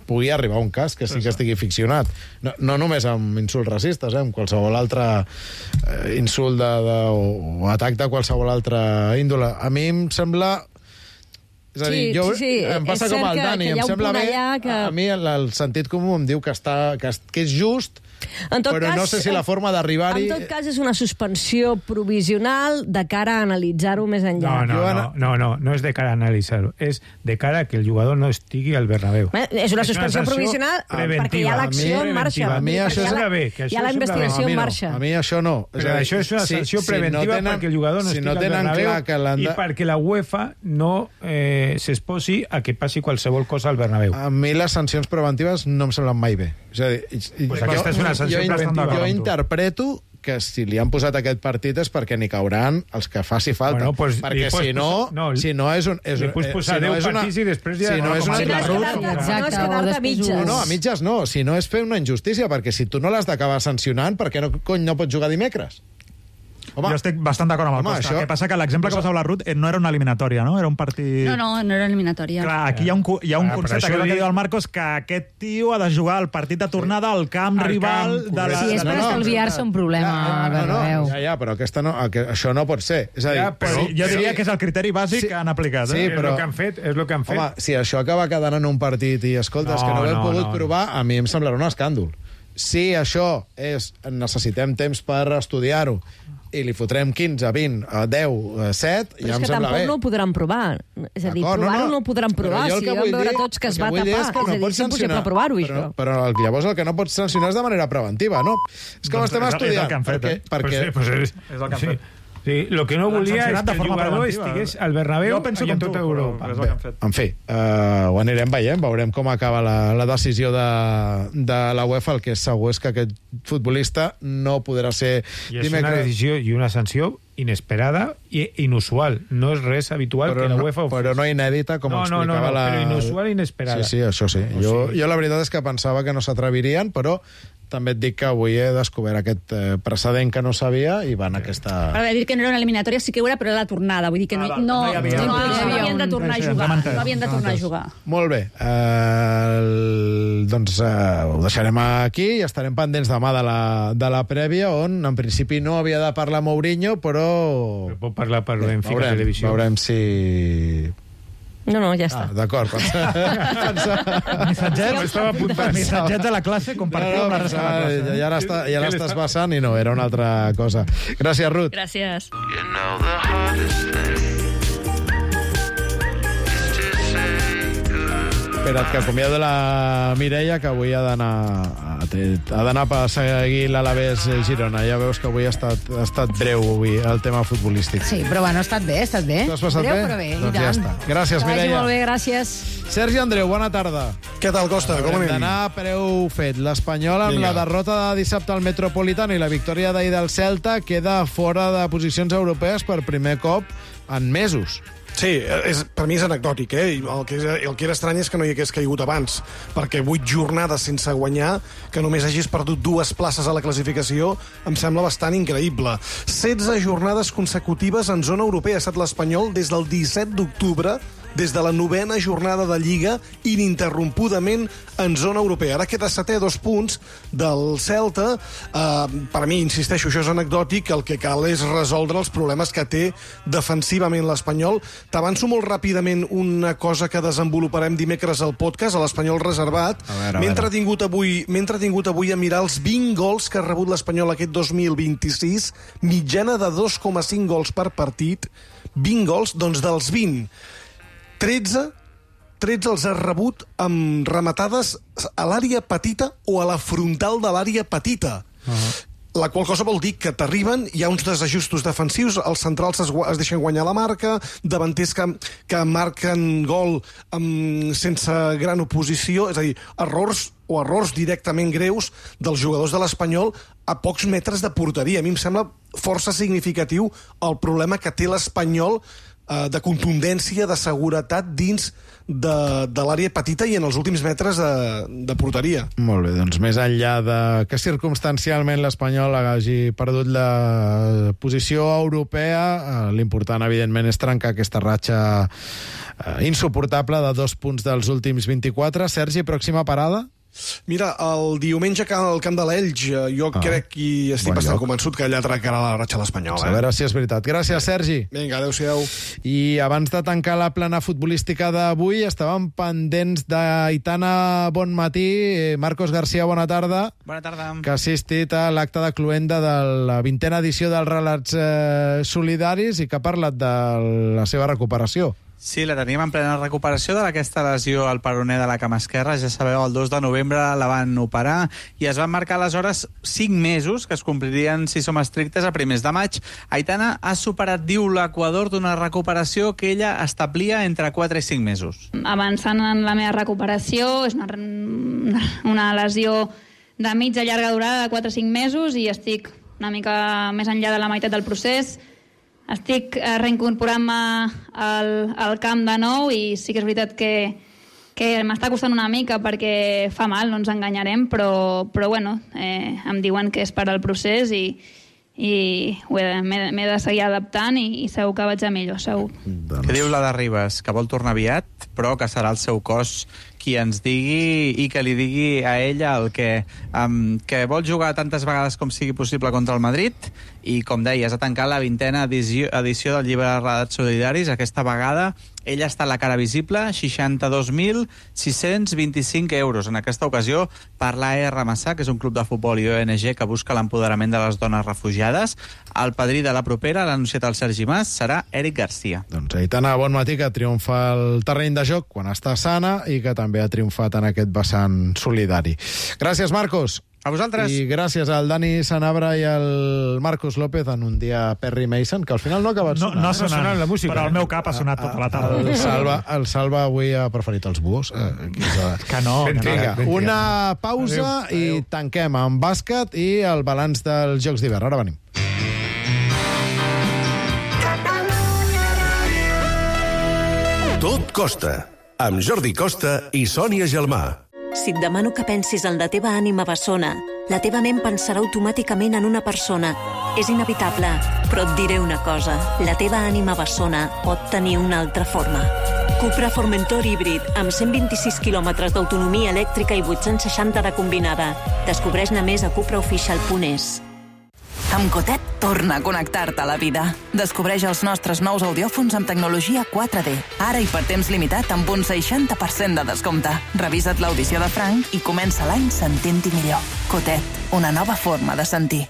pugui arribar un cas que sí que estigui ficcionat. No, no només amb insults racistes, eh, amb qualsevol altre eh, insult de, de, o atac de qualsevol altra índole. A mi em sembla... És a dir, Sí, jo, sí, sí, em passa és com cert al que- Dani, que hi em ha un sembla punt bé, allà que- a mi el, el sentit comú em diu que, està, que, que és just, En tot però cas, no sé si la forma d'arribar-hi... En tot cas, és una suspensió provisional de cara a analitzar-ho més enllà. No, no, Jo, no, no, no, no és de cara a analitzar-ho, és de cara a que el jugador no estigui al Bernabéu. Eh, És una suspensió sanció provisional perquè hi ha l'acció en marxa. A mi Perquè això hi ha sembla la- bé, que això hi ha la sembla bé. investigació a mi en no, marxa. A mi això no. Però això és una sanció preventiva tenen- perquè el jugador no si estigui no al tenen Bernabéu clar que l'han i de... perquè la UEFA no eh, s'exposi a que passi qualsevol cosa al Bernabéu. A mi les sancions preventives no em semblen mai bé. És a dir, i- Pues jo- aquesta és una sanció jo, preventiva. Jo amb tu. interpreto que si li han posat aquest partit és perquè n'hi cauran els que faci falta. Bueno, pues, perquè li pots si no, posar- no, si no és un... És, li pots eh, posar si no deu és una, partits i després ja si no no és una... com a No és quedar-te Exacte, no és o quedar-te a després mitges. No, no, a mitges no. Si no és fer una injustícia, perquè si tu no l'has d'acabar sancionant, per què no, cony, no pots jugar dimecres? Home, Jo estic bastant d'acord amb el home, Costa. això- El que passa que l'exemple que posava la Ruth eh, no era una eliminatòria, no? Era un partit... No, no, no era eliminatòria. Clar, aquí hi ha un, cu- hi ha un Ah, però concepte, això que és el que dic- diu el Marcos, que aquest tio ha de jugar el partit de tornada al camp Al rival camp, de la... Sí, és per No, no, estalviar-se un problema. Ja, no, no, Bernabéu. ja, ja, però aquesta no, que, això no pot ser. És a dir, Ja, però- Sí, jo diria que és el criteri bàsic Sí. que han aplicat. Sí, Eh? és però- el que han fet, és el que han fet. home, si això acaba quedant en un partit i, escolta, és que No, no ho hem no, pogut no, provar, a mi em semblarà un escàndol. Si això és... necessitem temps per estudiar-ho i li fotrem quinze, vint, deu, set, Però ja és em que sembla tampoc bé. no ho podran provar. És a dir, D'acord, provar-ho no ho podran Però provar. jo el Si que vam vull veure dir- tots que el es que va vull tapar. dir És, és que a no dir, pots és impossible sancionar, provar-ho, però, això. però el, llavors el que no pots sancionar és de manera preventiva, no? És que ho Doncs estem és el- és el estudiant. que han fet, perquè, eh? perquè, Pues, pues, és, És el que han sí. fet. Sí, lo que no L'han volia és sancionat de que el forma jugador preventiva. estigués al Bernabéu Jo penso i en com tota tu, Europa. però és el que han fet. en fi, uh, ho anirem veient, veurem com acaba la, la decisió de, de la UEFA. El que és segur és que aquest futbolista no podrà ser I és una decisió i una sanció inesperada i inusual. No és res habitual però que la no, UEFA ho però no inèdita, com No, no, explicava no, no, la... però inusual i inesperada. Sí, sí, això sí. O Jo, sigui- jo la veritat és que pensava que no s'atrevirien, però també et dic que avui he descobert aquest eh, precedent que no sabia i van aquesta... Per dir que no era una eliminatòria, sí que ho era, però era la tornada. Vull dir que no, Ah, no, no hi havia- no, no hi no havia havien de un- tornar a Sí, sí, jugar. ens hem entès, No havien de ens hem tornar a entès. jugar. Molt bé. Eh, el, doncs eh, ho deixarem aquí i estarem pendents demà de la, de la prèvia, on en principi no havia de parlar Mourinho, però... Però pot parlar per Benfica veurem, Televisió. veurem si... No, no, ja està. Ah, d'acord. Pensava... Missatgets, Estava apuntant. missatgets de la classe, compartiu amb la resta de la ja, classe. ja l'està- ja l'estàs passant i no, era una altra cosa. Gràcies, Ruth. Gràcies. Espera't, que acomiado la Mireia, que avui ha d'anar ha d'anar per seguir l'Alavés Girona. Ja veus que avui ha estat, ha estat breu avui, el tema futbolístic. Sí, però bueno, ha estat bé, ha estat bé. T'ho has passat Breu, bé? però bé, i Doncs ja tant. està. Gràcies, que vagi Mireia. molt bé, gràcies. Sergi Andreu, bona tarda. Què tal, Costa? Com Haurem anem? d'anar a preu fet. L'Espanyol, amb Vinga. la derrota de dissabte al Metropolitano i la victòria d'ahir del Celta, queda fora de posicions europees per primer cop en mesos. Sí, és, per mi és anecdòtic, eh? I El que, és, el que era estrany és que no hi hagués caigut abans, perquè vuit jornades sense guanyar, que només hagis perdut dues places a la classificació, em sembla bastant increïble. setze jornades consecutives en zona europea ha estat l'Espanyol des del disset d'octubre, des de la novena jornada de Lliga, ininterrompudament en zona europea. Ara queda setè a dos punts del Celta. Uh, per a mi, insisteixo, això és anecdòtic. El que cal és resoldre els problemes que té defensivament l'Espanyol. T'avanço molt ràpidament una cosa que desenvoluparem dimecres al podcast, a l'Espanyol reservat. A veure, a M'he veure. entretingut avui, m'he entretingut avui a mirar els vint gols que ha rebut l'Espanyol aquest dos mil vint-i-sis, mitjana de dos coma cinc gols per partit. vint gols, doncs dels vint, tretze, tretze els ha rebut amb rematades a l'àrea petita o a la frontal de l'àrea petita. Uh-huh. La qual cosa vol dir que t'arriben, hi ha uns desajustos defensius, els centrals es, gua- es deixen guanyar la marca, davanters que, que marquen gol amb, sense gran oposició, és a dir, errors o errors directament greus dels jugadors de l'Espanyol a pocs metres de porteria. A mi em sembla força significatiu el problema que té l'Espanyol eh, de contundència, de seguretat dins de, de l'àrea petita i en els últims metres de, de porteria. Molt bé, doncs més enllà de que circumstancialment l'Espanyol hagi perdut la posició europea, eh, l'important, evidentment, és trencar aquesta ratxa eh, insuportable de dos punts dels últims vint-i-quatre. Sergi, pròxima parada? Mira, el diumenge al Camp de l'Elx, jo ah, crec i estic bon bastant lloc. convençut que allà trencarà la ratxa l'Espanyol. A veure si és veritat. Gràcies, Sergi. Vinga, adéu-siau. I abans de tancar la plana futbolística d'avui, estàvem pendents d'Aitana Bonmatí. Marcos García, bona tarda. Bona tarda. Que ha assistit a l'acte de cluenda de la vintena edició dels Relats eh, Solidaris i que ha parlat de la seva recuperació. Sí, la teníem en plena recuperació d'aquesta lesió al peroné de la cama esquerra. Ja sabeu, el dos de novembre la van operar i es van marcar aleshores cinc mesos, que es complirien, si som estrictes, a primers de maig. Aitana ha superat, diu l'Equador, d'una recuperació que ella establia entre quatre i cinc mesos. Avançant en la meva recuperació, és una, una lesió de mitja llarga durada de quatre o cinc mesos i estic una mica més enllà de la meitat del procés. Estic reincorporant-me al, al camp de nou i sí que és veritat que, que m'està costant una mica perquè fa mal, no ens enganyarem, però, però bueno, eh, em diuen que és per al procés i, i m'he de seguir adaptant i, i segur que vaig a millor, segur. Què diu la de Ribas? Que vol tornar aviat, però que serà el seu cos qui ens digui i que li digui a ella el que, um, que vol jugar tantes vegades com sigui possible contra el Madrid i, com deies, ha tancat la vintena edició, edició del llibre de Relats Solidaris. Aquesta vegada ella està a la cara visible, seixanta-dos mil sis-cents vint-i-cinc euros. En aquesta ocasió per l'A R Massà, que és un club de futbol i O N G que busca l'empoderament de les dones refugiades. El padrí de la propera, l'ha anunciat el Sergi Mas, serà Eric Garcia. Doncs Aitana Bonmatí, que triomfa al terreny de joc quan està sana i que també ha triomfat en aquest vessant solidari. Gràcies, Marcos. A vosaltres. I gràcies al Dani Sanabra i al Marcos López en un dia Perry Mason, que al final no ha acabat sonant. No, no ha sonat, sonat la música, però el meu cap ha sonat tota la tarda. El Salva, el Salva avui ha preferit els buos. Eh, que no. Vinga, una pausa adéu, adéu. I tanquem amb bàsquet i el balanç dels Jocs d'hivern. Ara venim. Tot costa, amb Jordi Costa i Sònia Gelmà. Si et demano que pensis en la teva ànima bessona, la teva ment pensarà automàticament en una persona. És inevitable, però et diré una cosa. La teva ànima bessona pot tenir una altra forma. Cupra Formentor híbrid, amb cent vint-i-sis quilòmetres d'autonomia elèctrica i vuit-cents seixanta de combinada. Descobreix-ne més a cupraofficial punt es. Amb Cotet torna a connectar-te a la vida. Descobreix els nostres nous audiòfons amb tecnologia quatre D. Ara i per temps limitat amb un seixanta per cent de descompte. Revisa't l'audició de Frank i comença l'any sentint-hi millor. Cotet, una nova forma de sentir.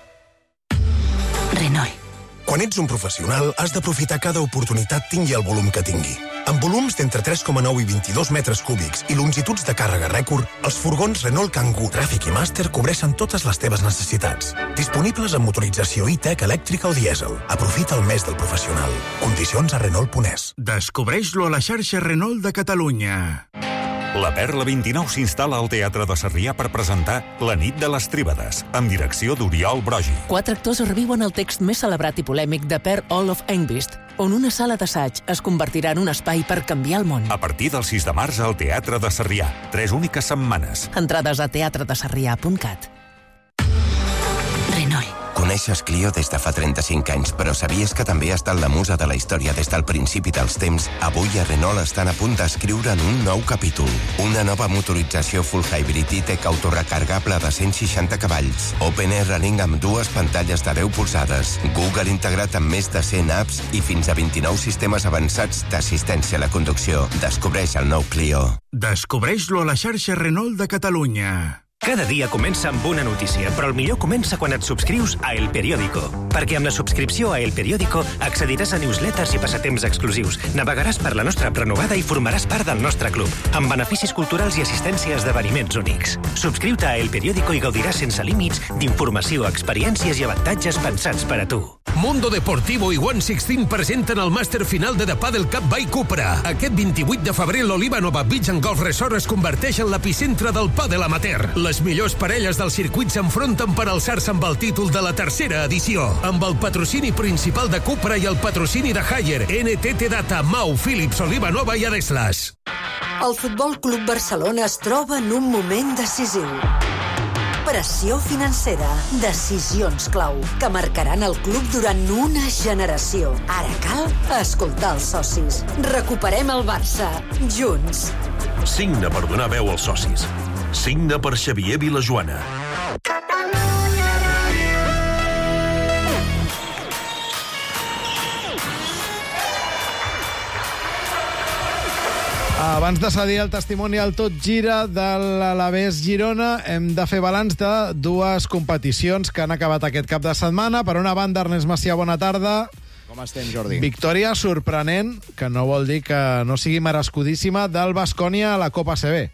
Renault. Quan ets un professional, has d'aprofitar cada oportunitat tingui el volum que tingui. Amb volums d'entre tres coma nou i vint-i-dos metres cúbics i longituds de càrrega rècord, els furgons Renault Kangoo, Tràfic i Master cobreixen totes les teves necessitats. Disponibles amb motorització e-tech, elèctrica o dièsel. Aprofita el mes del professional. Condicions a Renault punt es. Descobreix-lo a la xarxa Renault de Catalunya. La Perla vint-i-nou s'instal·la al Teatre de Sarrià per presentar La nit de les Tríbades, amb direcció d'Oriol Brogi. Quatre actors reviuen el text més celebrat i polèmic de Per Olof Engvist, on una sala d'assaig es convertirà en un espai per canviar el món. A partir del sis de març al Teatre de Sarrià. Tres úniques setmanes. Entrades a teatre de sarrià punt cat. Renault. Coneixes Clio des de fa trenta-cinc anys, però sabies que també ha estat la musa de la història des del principi dels temps? Avui a Renault estan a punt d'escriure en un nou capítol. Una nova motorització full hybrid i-tech autorecargable de cent seixanta cavalls. Open Air Running amb dues pantalles de deu polzades. Google integrat amb més de cent apps i fins a vint-i-nou sistemes avançats d'assistència a la conducció. Descobreix el nou Clio. Descobreix-lo a la xarxa Renault de Catalunya. Cada dia comença amb una notícia, però el millor comença quan et subscrius a El Periódico. Perquè amb la subscripció a El Periódico accediràs a newsletters i passatemps exclusius, navegaràs per la nostra app renovada i formaràs part del nostre club, amb beneficis culturals i assistència a esdeveniments únics. Subscriu-te a El Periódico i gaudiràs sense límits d'informació, experiències i avantatges pensats per a tu. Mundo Deportivo i One Sixteen presenten el màster final de The Padel Cup by Cupra. Aquest vint-i-vuit de febrer l'Oliva Nova Beach and Golf Resort es converteix en l'epicentre del pàdel amateur. Les millors parelles del circuit s'enfronten per alçar-se amb el títol de la tercera edició, amb el patrocini principal de Cupra i el patrocini de Haier, N T T Data, Mau, Philips, Oliva Nova i Adeslas. El Futbol Club Barcelona es troba en un moment decisiu. Pressió financera, decisions clau, que marcaran el club durant una generació. Ara cal escoltar els socis. Recuperem el Barça, junts. Signa per donar veu als socis. Signe per Xavier Vilajoana. Abans de cedir el testimoni al Tot Gira de l'Alavés Girona, hem de fer balanç de dues competicions que han acabat aquest cap de setmana. Per una banda, Ernest Macià, bona tarda. Com estem, Jordi? Victòria sorprenent, que no vol dir que no sigui merescudíssima, del Baskonia a la Copa A C B.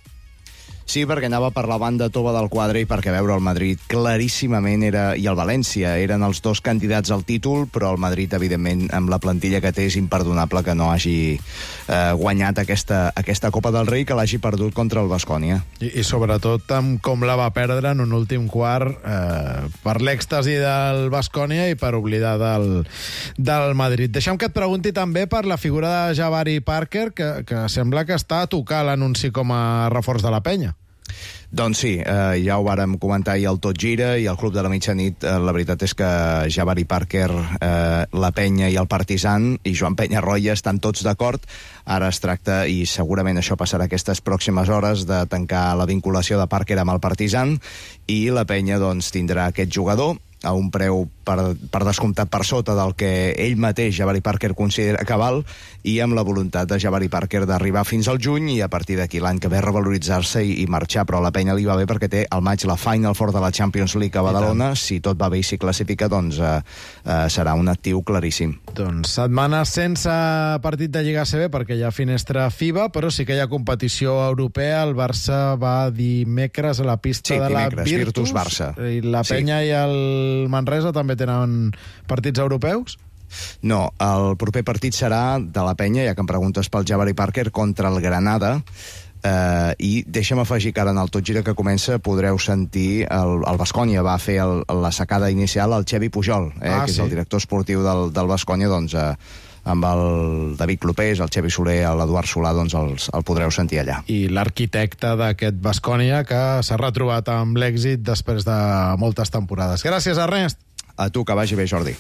Sí, perquè anava per la banda tova del quadre i perquè veure el Madrid claríssimament era, i el València eren els dos candidats al títol, però el Madrid, evidentment, amb la plantilla que té, és imperdonable que no hagi eh, guanyat aquesta, aquesta Copa del Rei, que l'hagi perdut contra el Baskonia. I, I sobretot amb com la va perdre en un últim quart eh, per l'èxtasi del Baskonia i per oblidar del, del Madrid. Deixa'm que et pregunti també per la figura de Jabari Parker, que, que sembla que està a tocar l'anunci com a reforç de la penya. Doncs sí, eh, ja ho vàrem comentar ahir al Tot Gira i al Club de la Mitjanit. Eh, la veritat és que Jabari Parker, eh, la Penya i el Partizan i Joan Penyarroia estan tots d'acord. Ara es tracta, i segurament això passarà aquestes pròximes hores, de tancar la vinculació de Parker amb el Partizan, i la Penya doncs, tindrà aquest jugador a un preu per, per descomptat per sota del que ell mateix, Jabari Parker, considera que val, i amb la voluntat de Jabari Parker d'arribar fins al juny i a partir d'aquí l'any que ve revaloritzar-se i, i marxar. Però a la Penya li va bé perquè té al maig la Final Four de la Champions League a Badalona. Si tot va bé i s'hi classifica, doncs eh, eh, serà un actiu claríssim. Doncs setmana sense partit de Lliga A C B perquè hi ha finestra FIBA, però sí que hi ha competició europea. El Barça va dimecres a la pista sí, de la dimecres, Virtus, Virtus Barça. I la Penya sí. i el Manresa també tenen partits europeus? No, el proper partit serà de la Penya, ja que em preguntes pel Jabari Parker, contra el Granada. Uh, i deixa'm afegir que ara en el Tot Gira que comença podreu sentir el, el Baskonia va fer el, la sacada inicial al Xevi Pujol, eh, ah, que sí. és el director esportiu del, del Baskonia. Doncs uh, amb el David Clopés, el Xevi Soler, l'Eduard Solà, doncs els, el podreu sentir allà. I l'arquitecte d'aquest Baskonia que s'ha retrobat amb l'èxit després de moltes temporades. Gràcies, Ernest. A tu, que vagi bé, Jordi.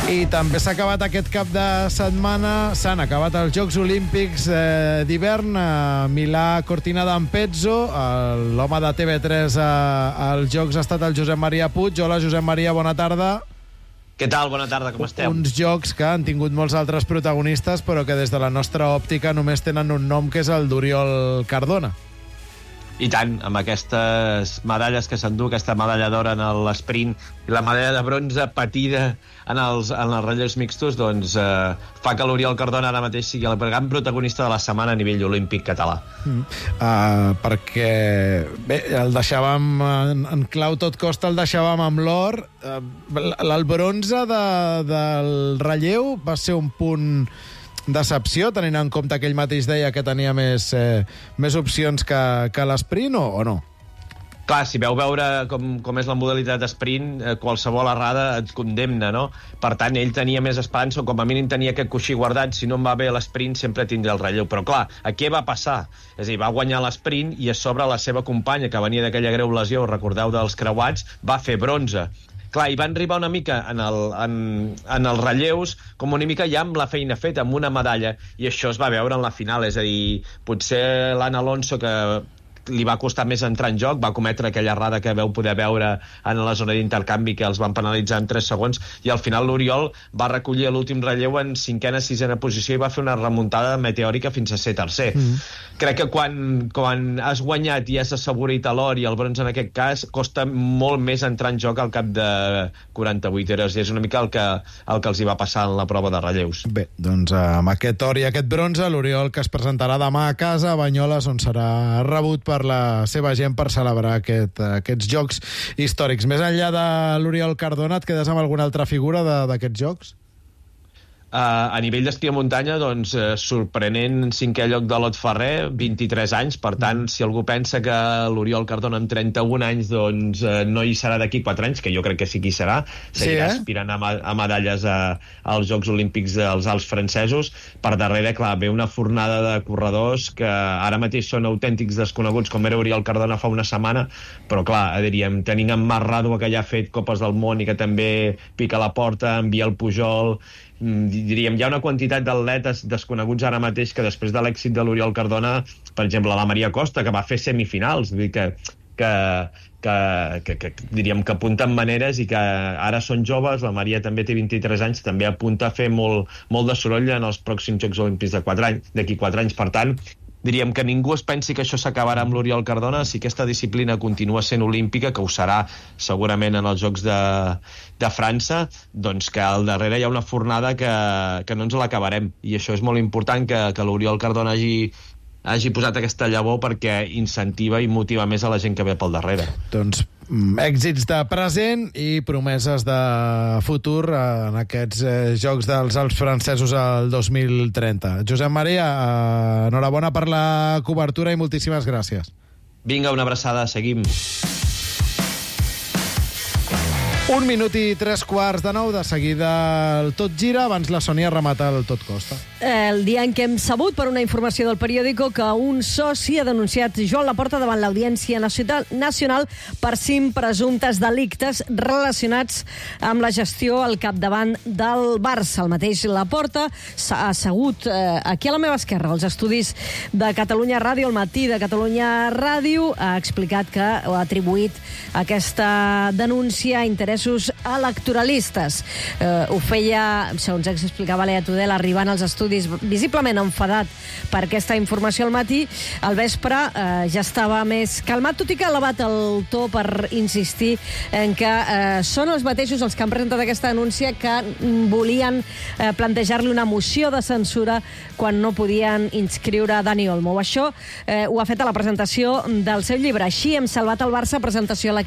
I també s'ha acabat aquest cap de setmana, s'han acabat els Jocs Olímpics eh, d'hivern a Milà Cortina d'Ampezzo. L'home de T V tres als Jocs ha estat el Josep Maria Puig. Hola, Josep Maria, bona tarda. Què tal? Bona tarda, com esteu? Uns jocs que han tingut molts altres protagonistes, però que des de la nostra òptica només tenen un nom, que és el d'Oriol Cardona. I tant, amb aquestes medalles que s'endú, aquesta medalla d'or en l'esprint i la medalla de bronze patida en els, en els relleus mixtos, doncs eh, fa que l'Oriol Cardona ara mateix sigui el gran protagonista de la setmana a nivell olímpic català. Mm. Uh, perquè bé, el deixàvem en, en clau tot costa, el deixàvem amb l'or. Uh, el bronze de, del relleu va ser un punt decepció, tenint en compte que ell mateix deia que tenia més, eh, més opcions que, que l'esprint, o, o no? Clar, si veu veure com, com és la modalitat d'esprint, eh, qualsevol errada et condemna, no? Per tant, ell tenia més esperança, o com a mínim tenia aquest coixí guardat. Si no em va bé l'esprint, sempre tindré el relleu. Però clar, a què va passar? És a dir, va guanyar l'esprint i a sobre la seva companya, que venia d'aquella greu lesió, recordeu, dels creuats, va fer bronze. Clar, i van arribar una mica en, el, en, en els relleus com una mica ja amb la feina feta, amb una medalla, i això es va veure en la final. És a dir, potser l'Anna Alonso, que li va costar més entrar en joc, va cometre aquella errada que veu poder veure en la zona d'intercanvi, que els van penalitzar en tres segons, i al final l'Oriol va recollir l'últim relleu en cinquena, sisena posició i va fer una remuntada meteòrica fins a ser tercer. Mm. Crec que quan, quan has guanyat i has assegurat l'or i el bronze en aquest cas, costa molt més entrar en joc al cap de quaranta-vuit hores, i és una mica el que, el que els hi va passar en la prova de relleus. Bé, doncs amb aquest or i aquest bronze, l'Oriol, que es presentarà demà a casa, a Banyoles, on serà rebut per la seva gent per celebrar aquest, aquests jocs històrics. Més enllà de l'Oriol Cardona, et quedes amb alguna altra figura d'aquests jocs? Uh, a nivell d'esquí a muntanya, doncs, uh, sorprenent cinquè lloc de Lot Ferrer, vint-i-tres anys, per tant, si algú pensa que l'Oriol Cardona amb trenta-un anys doncs, uh, no hi serà d'aquí quatre anys, que jo crec que sí que hi serà, seguirà sí, eh? aspirant a, a medalles a, als Jocs Olímpics dels Alps francesos. Per darrere, clar, ve una fornada de corredors que ara mateix són autèntics desconeguts, com era Oriol Cardona fa una setmana, però clar, diríem, tenint en Marc Ràdua, que ja ha fet Copes del Món i que també pica la porta, en Biel Pujol diríem, hi ha una quantitat d'atletes desconeguts ara mateix que després de l'èxit de l'Oriol Cardona, per exemple, la Maria Costa, que va fer semifinals, vull dir que, que, que, que, que diríem que apunten maneres i que ara són joves, la Maria també té vint-i-tres anys, també apunta a fer molt, molt de soroll en els pròxims Jocs Olímpics de quatre anys, d'aquí quatre anys. Per tant, diríem que ningú es pensi que això s'acabarà amb l'Oriol Cardona. Si aquesta disciplina continua sent olímpica, que ho serà segurament en els Jocs de, de França, doncs que al darrere hi ha una fornada que, que no ens l'acabarem. I això és molt important, que, que l'Oriol Cardona hagi, hagi posat aquesta llavor, perquè incentiva i motiva més a la gent que ve pel darrere. Doncs èxits de present i promeses de futur en aquests eh, Jocs dels Alps francesos al dos mil trenta. Josep Maria, eh, enhorabona per la cobertura i moltíssimes gràcies. Vinga, una abraçada, seguim. Un minut i tres quarts de nou, de seguida el Tot Gira, abans la Sònia remata el Tot Costa. El dia en què hem sabut, per una informació del periòdico, que un soci ha denunciat Joan Laporta davant l'Audiència Nacional per cinc presumptes delictes relacionats amb la gestió al capdavant del Barça. El mateix Laporta s'ha assegut eh, aquí a la meva esquerra, als estudis de Catalunya Ràdio, al matí de Catalunya Ràdio, ha explicat que ha atribuït aquesta denúncia a interessos electoralistes. Eh, ho feia, segons explicava Lea Tudel, arribant als estudis visiblement enfadat per aquesta informació al matí. Al vespre eh, ja estava més calmat, tot i que ha elevat el to per insistir en que eh, són els mateixos els que han presentat aquesta denúncia que volien eh, plantejar-li una moció de censura quan no podien inscriure Dani Olmo. Això eh, ho ha fet a la presentació del seu llibre. Així hem salvat el Barça, presentació a la